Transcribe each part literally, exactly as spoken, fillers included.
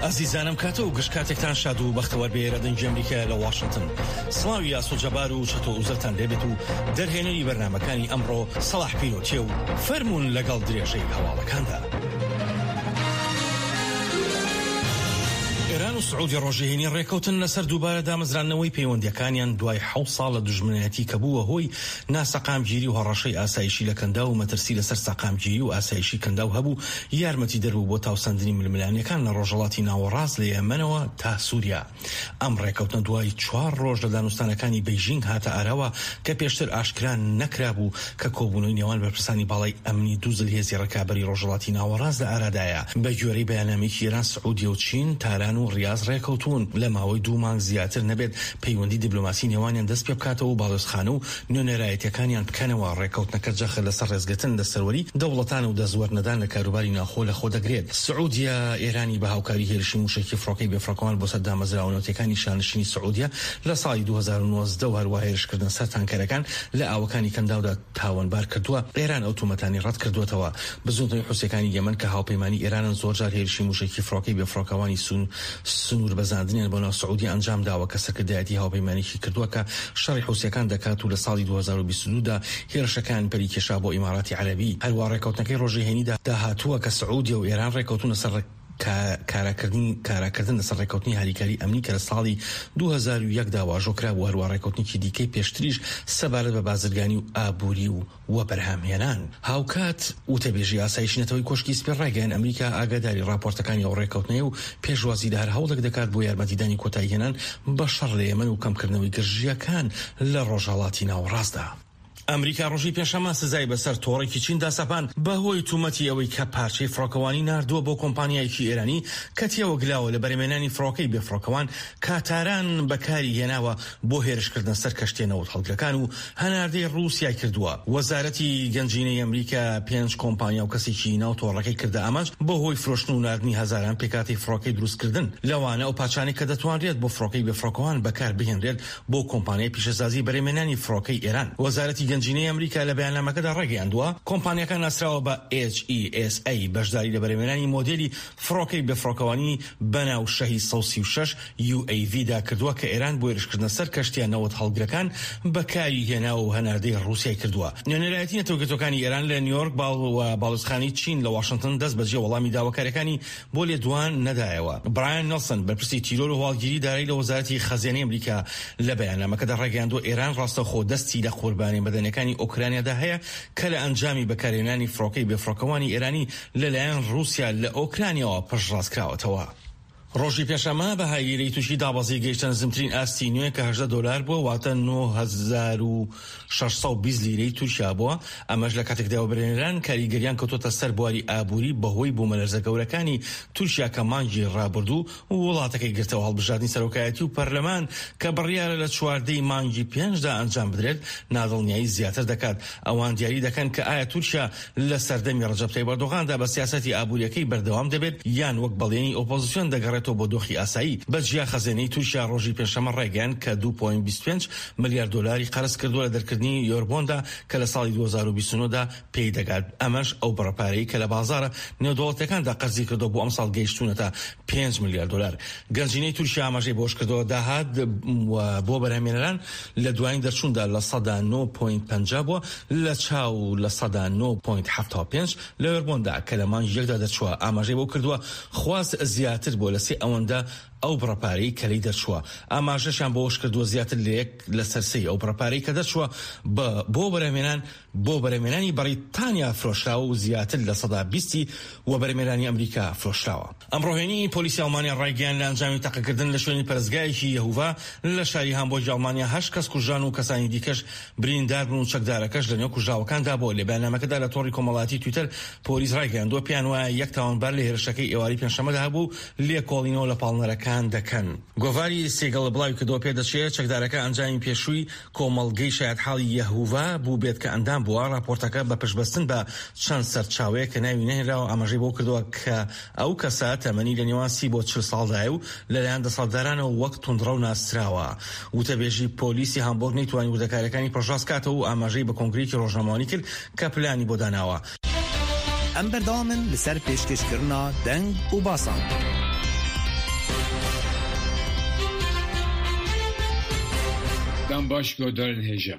ئازیزانم، کاتە و گشت کاتێکتان شاد و بەختەوەر بێ. لە دەنگی ئەمریکا لە واشنگتن سڵاوی ئاسۆ جەبار و چەتۆ ئوزەلتان لێبێت و دەرهێنەری بەرنامەکانی ئەمڕۆ سەڵاح پیرۆتیە و فەرموون لەگەڵ درێژەی هەواڵەکاندا. ئێران و سعودی ڕۆژی هەینی ڕێکەوتن لەسەر دووبارە دامەزراندنەوەی پەیوەندیەکانیان دوای حەوت ساڵ لە دوژمنایەتی کە بووە هۆی ناسەقامگیری و هەڕەشەی ئاسایشی لە کەنداو و مەترسی لەسەر سەقامگیری و ئاسایشی کەنداو هەبوو، یارمەتی دەربوو بۆ تاوسەندنی ململانیەکان لە ڕۆژهەڵاتی ناوەڕاست لە یەمەنەوە تا سووریا. ئەم ڕێکەوتنە دوای چوار ڕۆژ لە دانوستانەکانی بەیژینگ هاتە ئاراوە کە پێشتر ئاشکرا نەکرابوو کە کۆبوونەوەی نێوان بەرپرسانی باڵای ئەمنی دوو زلهێزی ڕکابەری ڕۆژهەڵاتی ناوەڕاست لە ئارادایە. بە گوێرەی بەیاننامەیەکی ئێران، سعودیە و چین، تاران و ڕیاز ڕێکەوتون لە ماوەی دوو مانگ زیاتر نەبێت پەیوەندی دیبلۆماسی نێوانیان دەست پێ بکاتەوە و باڵیۆزخانە و نوێنەرایەتیەکانیان بکەنەوە. ڕێکەوتنەکە جەخت لەسەر ڕێزگرتن لە سەروەری دەوڵەتان و دەستوەرنەدان لە کاروباری ناوخۆ لەخۆ دەگرێت. سعودیە ئێرانی بە هاوکاری هێرشی مووشەکی فڕۆکەی بێفڕۆکەوان بۆ سەر دامەزراوە نەوتیەکانی شانشینی سعودیە لە ساڵی دوو هەزار و نۆزدە و هەروەها هێرشکردنە سەر تانکەرەکان لە ئاوەکانی کەنداودا تاوانبار کردووە. ئێران ئەو تۆمەتانی ڕەت کردووەتەوە. بزووتنەوەی حوسیەکانی یەمەن کە هاوپەیمانی ئێرانن زۆرجار هێرشی مووشەکی فڕۆکەی بێفڕۆکەوانی سنوور بەزاندنیان بۆ ناو سعودیە ئەنجام داوە کە سەرکردایەتی هاوپەیمانێکی کردووە کە شەڕی حوسیەکان دەکات و لە ساڵی دوو هەزار و بیست و دوو دا هێرشەکان پەری کێشا بۆ ئیماراتی عەرەبی. هەروە ڕێکەوتنەکەی ڕۆژی هەینیدا داهاتووە کە سعودیە و ئێران ڕێکەوتونە سەر کاراکردنی کاراکردن لەسەر ڕێکەوتنی هاریکاری ئەمنی کە لە ساڵی دوو هەزار و یەک دا واژۆ کرابوو، هەروە ڕێکەوتنێکی دیکەی پێشتریش سەبارەت بە بازرگانی و ئابووری و وەبەرهەمهێنان. هاوکات وتەبێژی ئاسایشی نەتەوەی کۆشکی سپی ڕایگەیاند ئەمریکا ئاگاداری ڕاپۆرتەکانی ئەو ڕێکەوتنەیە و پێشوازی لە هەر هەوڵێک دەکات بۆ یارمەتیدانی کۆتاییهێنان بە شەڕ لە یەمەن و کەمکردنەوەی گرژییەکان لە ڕۆژهەڵاتی ناوەڕاستدا. ئەمریکا ڕۆژی پێنجشەممە سزای بەسەر تۆڕێکی چیندا سەپاند بەهۆی تومەتی ئەوەی کە پارچەی فڕۆکەوانی ناردووە بۆ کۆمپانیایەکی ئێرانی کە تێوەگلاوە لە بەرهەمهێنانی فڕۆکەی بێفڕۆکەوان کە تاران بەکاری هێناوە بۆ هێرشکردنە سەر کەشتیە نەوت هەڵگرەکان و هەناردەی ڕووسیای کردووە. وەزارەتی گەنجینەی ئەمریکا پێنج کۆمپانیا و کەسێکی ناو تۆڕەکەی کردە ئامانج بەهۆی فرۆشتن و ناردنی هەزاران پێکهاتەی فڕۆکەی دروستکردن، لەوانە ئەو پارچانەی کە دەتوانرێت بۆ فڕۆکەی بێفڕۆکەوان بەکار بهێنرێت بۆ کۆمپانیای پیشەسازی بەرهەمهێنانی فڕۆکەی ئێران. وەزارەتی گەنجینەی ئەمریکا لە بەیاننامەکەدا ڕایگەیاندووە کۆمپانیاکە ناسراوە بە H E S A بەشداری لە بەرهەمهێنانی مۆدێلی فڕۆکەی بێفڕۆکەوانی بەناو شەهید سەد و سی و شەش U A V دا کردووە کە ئێران بۆ هێرشکردنە سەر کەشتیە نەوت هەڵگرەکان بەکاری هێناوە و هەناردەی ڕووسیای کردووە. نوێنەرایەتی نەتەوەیەکگرتووەکانی ئێران لە نیویۆرک باڵ و باڵیۆزخانەی چین لە واشنتن دەست بەجێ وەڵامی داواکاریەکانی بۆ لێدوان نەدایەوە. برایان نیڵسن بەرپرسی تیرۆر و هەواڵگیری دارایی لە وەزارەتی خەزێنەی ئەمریکا لە بەیاننامەکەدا ڕایگەیاندووە ئێران ڕاستەوخۆ دەستی لە قوربانی مەدەنیەکانی ئۆکرانیادا هەیە کە لە ئەنجامی بەکارهێنانی فڕۆکەی بێفڕۆکەوانی ئێرانی لەلایەن ڕووسیا لە ئۆکرانیاوە پشتڕاستکراوەتەوە. ڕۆژی پێنجشەممە بەهای لیرەی تورکی دابەزی گەیشتە نزمترین ئاستی نوێ کە هەژدە دۆلار بووە، واتە نۆ هەزار و شەش سەد و بیست لیرەی تورکیا بووە. ئەمەش لە کاتێکدا وەبەرهێنەران کاریگەریان کەوتۆتە سەر بواری ئابووری بەهۆی بوومەلەرزە گەورەکانی تورکیا کە مانگی ڕابردوو وڵاتەکەی گرتەوە. هەڵبژاردنی سەرۆکایەتی و پەرلەمان کە بڕیارە لە چواردەی مانگی پێنجدا ئەنجام بدرێت نادڵنیایی زیاتر دەکات. ئەوان دیاری دەکەن کە ئایا تورکیا لە سەردەمی ڕەجەب تەیب ئەردۆغاندا بە سیاسەتی ئابووریەکەی بەردەوام دەبێت یان وەک بەڵێنی ئۆپۆزیسیۆن دەگەڕێتەوە بۆ دۆخی ئاسایی. بەجیا خەزێنەی تورکیا ڕۆژی پێنجشەممە ڕایگەیاند کە دوو پۆینت بیست و پێنج ملیار دۆلاری قەرز کردووە لە دەرکردنی یۆربۆندا کە لە ساڵی دوو هەزار و بیست و نۆ دا پێی دەگات. ئەمەش ئەو بڕە پارەی کە لە بازاڕە نێودەوڵەتیەکاندا قەرزی کردووە بۆ ئەمساڵ گەیشتوونەتە پێنج ملیار دۆلار. گەنجینەی تورکیا ئاماژەی بەوەشکردەوە داهات و بۆ بەرهەمهێنەران لە دوایین دەرچووندا لە سەدا نۆ پۆینت پەنجا بووە لە چاو لە سەدا نۆ پۆینت حەفتا و پێنج لە یۆربۆندا کە لە مانگی یەکدا دەرچووە. ئاماژەی بەو کردووە خواست زیاتر بووە لە سێ ئەوەندە ئەو بڕە پارەی کە لێی دەرچووە. ئاماژەشیان بەوەش کردووە زیاتر لە یەک لەسەر سێی ئەو بڕە پارەی کە دەرچووە بۆ بەرهەمهێنان بۆ بەرهەمهێنانی بەریتانیا فرۆشراوە و زیاتر لە سەدا بیستی وەبەرهێنانی ئەمریکا فرۆشراوە. ئەمڕۆ هەینی پۆلیسی ئەڵمانیا ڕایگەیاند لە ئەنجامی تەقەکردن لە شوێنی پەرستگایەکی یەهوڤا لە شاری هامبۆرگی ئەڵمانیا هەشت کەس کوژران و کەسانی دیکەش بریندار بوون و چەکدارەکەش لەنێو کوژراوەکاندا بووە. لە بەیاننامەکەدا لە تۆڕی کۆمەڵایەتی تویتەر پۆلیس ڕایگەیاندووە پێیان وایە یەک تاوانبار لە هێرشەکەی ئێوارەی پێنجشەممەدا هەبوو و لێکۆڵینەوە لە پاڵنەرەکان دەکەن. گۆڤاری سیگڵ بڵاویکردەوە پێدەچێت چەکدارەکە ئەنجامی پێشووی کۆمەڵگەی شایەتحاڵی یەهوڤا بووبێت کە ئەندام بووە. راپۆرتەکە بە پشتبەستن بە چەند سەرچاوەیەک کە ناوی نەهێنراوە ئاماژەی بەوە کردووە کە ئەو کەسە تەمەنی لە نێوان سی بۆ چل ساڵدایە و لەلایەن دەسەڵاتدارانەوە وەک توندڕەو ناسراوە. وتەبێژی پۆلیسی هامبۆرگ نەیتوانی وردەکاریەکانی پشتڕاست کاتەوە و ئاماژەی بە کۆنگرەیەکی ڕۆژنامەوانی کرد کە پلانی بۆ داناوە. ئەم بەردەوامن لەسەر پێشکێشکردنا دەنگ و باسان. Dem baş guhdarên hêja.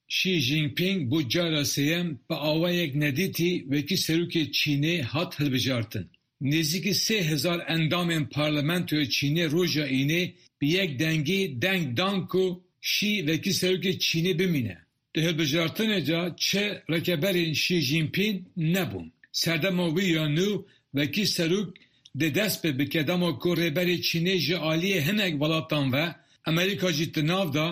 Xi Jinping bû cara sêyem bi awayek nedîtî wekî serokê Çînê hat hilbijartin. Nêzîkî sê hezar endamên Parlamentoya Çînê roja Înê bi yek dengî deng dan ku Xi wekî serokê Çînê bimîne. Di hilbijartinê de çi rikeberên Xi Jinping nebûn. Serdema wî ya nû wekî serok dê dest pê bike dema ku rêberê Çînê ji aliyê hinek welatan ve Amerîka jî di nav de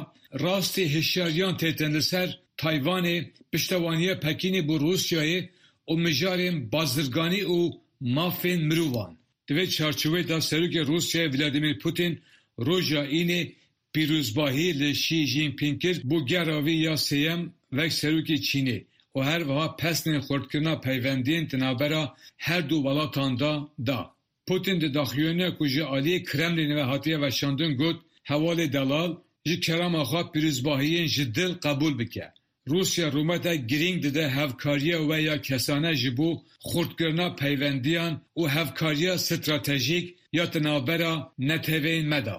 rastî hişyariyan têtin li ser Taywanê, piştevaniya Pekînê bo Rûsyayê û mijarên bazirganî û mafên mirovan. Di vê çarçoveyê de Serokê Rûsyayê Vladimir Putin roja Înê pîrozbahî li Xi Jinping kir bo gera wî ya sêyem wek serokê Çînê û her wiha pesnên xurtkirina peywendiyên di navbera her du welatan de da. Putin di daxuyaniya ku ji aliyê Kremlînê ve hatiye weşandin got: Hevalê delal ji kerema xwe pîrozbahiyên ji dil qebûl bike. Rûsya rûmetek girîng dide hevkariya we ya kesane ji bo xurtkirina peywendiyan û hevkariya stratejîk ya di navbera neteweyên me de.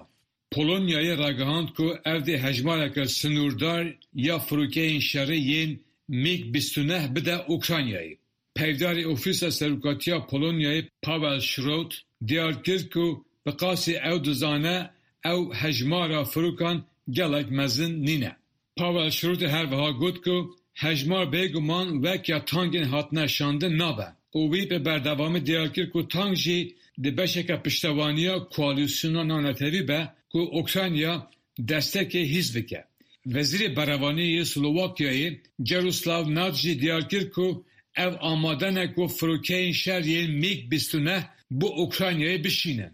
Polonyayê ragihand ku ev dê hejmareke sinûrdar ya firokeyên şerê yên MiG bîst û neh bide Ukraynayê. Peyvdarê Ofîsa Serokatiya Polonyayê Paweł Szrot diyar kir ku bi qasî ew dizane ew hejmara firokan gelek mezin nîne. Paweł Szrotê her wiha got ku hejmar bêguman wek ya tankên hatine şandin nabe û wî bi berdewamî diyar kir ku tank jî di beşeke piştevaniya koalîsyona navnetewî be ku Ukrayna destekê hîs bike. Wezîrê Berevaniyê yê Slovakyayê Jaroslav Nad jî diyar kir ku ew amade ne ku firokeyên şer yên MiG bîst û neh bo Ukraynayê bişînin.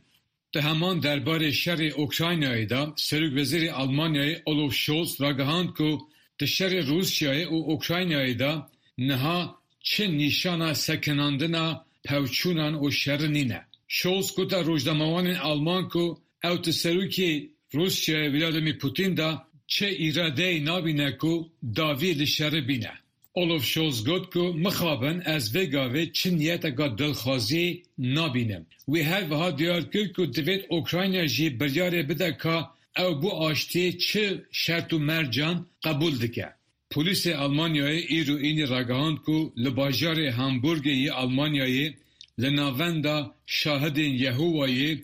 Di heman derbarê şerê Ukraynayê de Serokwezîrê Almanyayê Olaf Scholz ragihand ku di şerê Rûsyayê û Ukraynayê de niha çi nîşana sekinandina pevçûnan û şerê nîne. Scholz gote rojnamevanên Alman ku ew di serokê Rûsyayê Vladimir Putin de çi îradeyê nabîne ku dawî li şerê bîne. Olaf Scholz got ku mixabin ez vê gavê çi niyeteke dilxwaziyê nabînim. Wî her wiha diyar kir ku divêt Ukrayna jî biryarê bide ka ew bo aştiyê çi şert û mercan qebûl dike. Polîsê Almanyayê îro Înê ragihand ku li bajarê Hamburgê yê Almanyayê li navenda Şahidên Yehovayê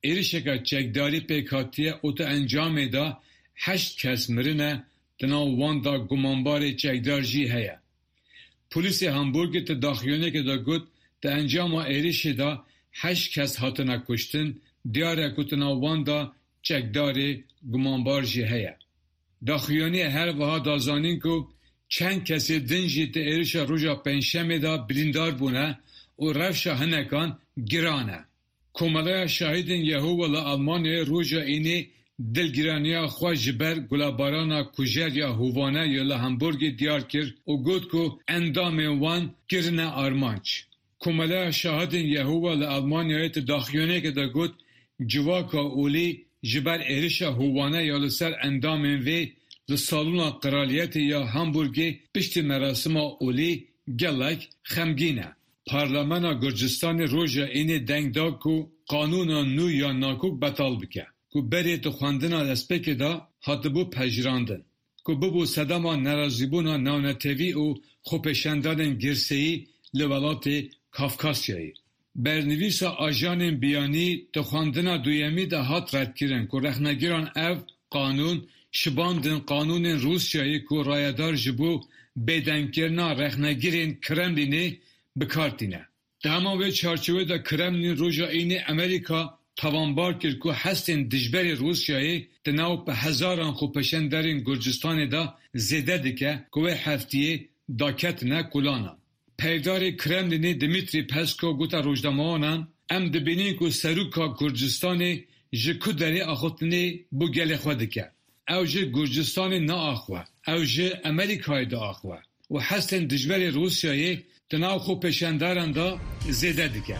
êrişeke çekdarî pêk hatiye û di encamê de heşt kes mirine di nav wan de gumanbarê çekdar jî heye. Polîsê Hamburgê di daxuyaniyekê de got di encama êrişê de heşt kes hatine kuştin, diyar e ku di nav wan de çekdarê gumanbar jî heye. Daxuyaniyê her wiha da zanîn ku çend kesê din jî di êrişa roja Pêncşemê de birîndar bûne û rewşa hinekan giran e. Komeleya Şahidên Yehova li Almanyayê roja Înê dilgiraniya xwe ji ber gulebarana kujer ya hovane ya li Hamburgê diyar kir û got ku endamên wan kirine armanc. Komeleya Şahidên Yehova li Almanyayê di daxuyaniyekê de got civaka olî ji ber êrişa hovane ya li ser endamên vê li Salona Qraliyetê ya Hamburgê piştî merasima olî gelek xemgîn e. Parlamena Gurcistanê roja Înê deng da ku qanûna nû ya nakok betal bike ku berê di xwendina destpêkê de hatibû pejirandin ku bûbû sedema nerazîbûna navnetewî û xwepêşandanên girseyî li welatê Kafkasyayê. Bernivîsa ajanên biyanî di xwendina duyemî de hat redkirin ku rexnegiran ev qanûn şibandin qanûnên Rûsyayê ku rayedar ji bo bêdengkirina rexnegirên Kremlînê bi kar tîne. Di heman wê çarçoveyê de Kremlîn roja Înê Amerîka tawanbar kir ku hestên dijberê Rûsyayê di nav bi hezaran xwepêşanderên Gurcistanê de zêde dike ku wê hefteyê daketine kolanan. Peyvdarê Kremlînê Dmitri Peskov gote rojnamevanan em dibînin ku seroka Gurcistanê ji ku derê axaftinê bo gelê xwe dike. Ew ji Gurcistanê naaxive, ew ji Amerîkayê diaxive û hestên dijberê Rûsyayê di nav xwepêşanderan de zêde dike.